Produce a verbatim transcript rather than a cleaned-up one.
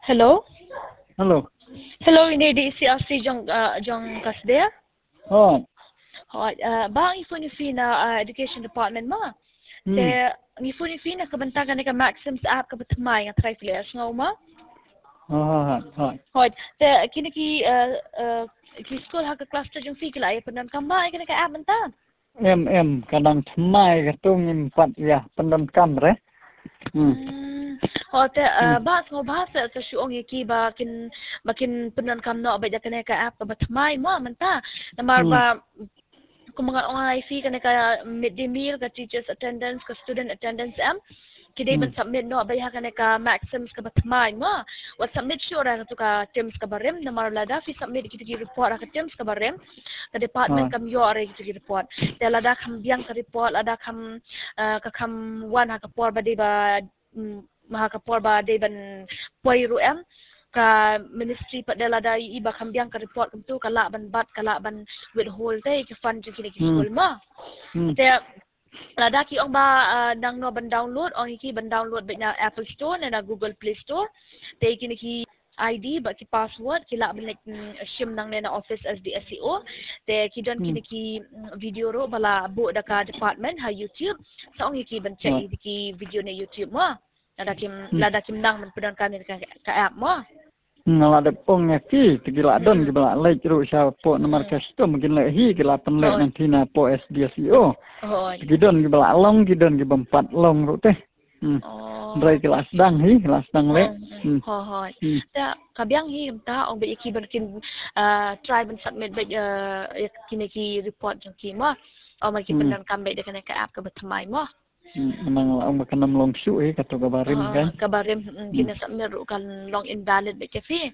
Hello. Hello. Hello, ine i dei i C R C jong, uh, jong ka sdang. Hooid. Hooid, uh, ba ngi phone ïa phi na, uh, education department mo. Hmm. Te ngi phone ïa phi na ka bynta kane ka Maxims app kaba thymmai, nga tharai phi la ïohsngew mo. Hooid, hooid. Hooid, te kine ki, uh, uh, ki skul ha ka cluster jong phi ki la ïa pyndonkam bha ïa kane ka app mynta? Em, em, ka dang thymmai, katto ngim pat ïa pyndonkam re. Hmm. Hmm. Hooid, te, uh, hmm, ba sngew bha sa, sa shu ong ïa ki ba kin, ba kin pyndonkam noh beit ïa kane ka app kaba thymmai mo mynta. Namar hmm, ba kumba nga ong ïa phi, kane ka midday meal, ka teachers attendance, ka student attendance, em, ki dei ban hmm, submit noh beit ha kane ka Maxims kaba thymmai mo. Wat submit shuh re ha katu ka TIMS kaba rim, namar lada phi submit kita ki report ha ka TIMS kaba rim, ka department hmm, kam ïoh re kita ki report. Te lada kham biang ka report, lada kham, uh, ka kham wan ha ka por ba dei ba, mm, ha ka por ba dei ban poi ruh, em, ka ministry pat de lada i ba kham biang ka report kumtu, ka lah ban bat, ka lah ban withhold te ïa ki fund jong kine ki hmm, skul mo. Hmm. Te lada ki ong ba, uh, nangno ban download, ong ïa ki ban download beit na Apple Store ne na Google Play Store. Te ïa kine ki I D bad ki password ki lah ban leit, mm, shim nangne na office S D S E O. Te ki don hmm, kine ki, mm, video ruh ba la buh da ka department ha YouTube. Sa ong ïa ki ban check hmm, ïa ki video na YouTube mo. Lada kim, hmm, lada kim nang ban pyndonkam ïa ka, ka app mo. Hmm, nga la dep ong ïa ki, te ki la don hmm, kiba la leit ruh shapoh namar hmm, custom kin leit hi, ki la pynleit hooid, nangne na poh S D S E O. Hooid. Te ki don kiba la long, ki don kibym pat long ruh te. Hmm. Oh. Hynrei ki la sdang hi, ki la sdang leh. Oh, hmm, hmm. Hooid, hooid. Hmm. Te ka biang hi mynta, ong beit ïa ki ban kin, uh, try ban submit beit, uh, ïa kine ki report jong ki mo. Ong ba ki hmm, pyndonkam beit da kane ka app kaba thymmai mo. Hmm, mynta nga la ong ba kan ym long shuh hi, kato kaba rim ah, kan. Kaba rim, mm, hmm, kine submit ruh kan long invalid beit ïa phi.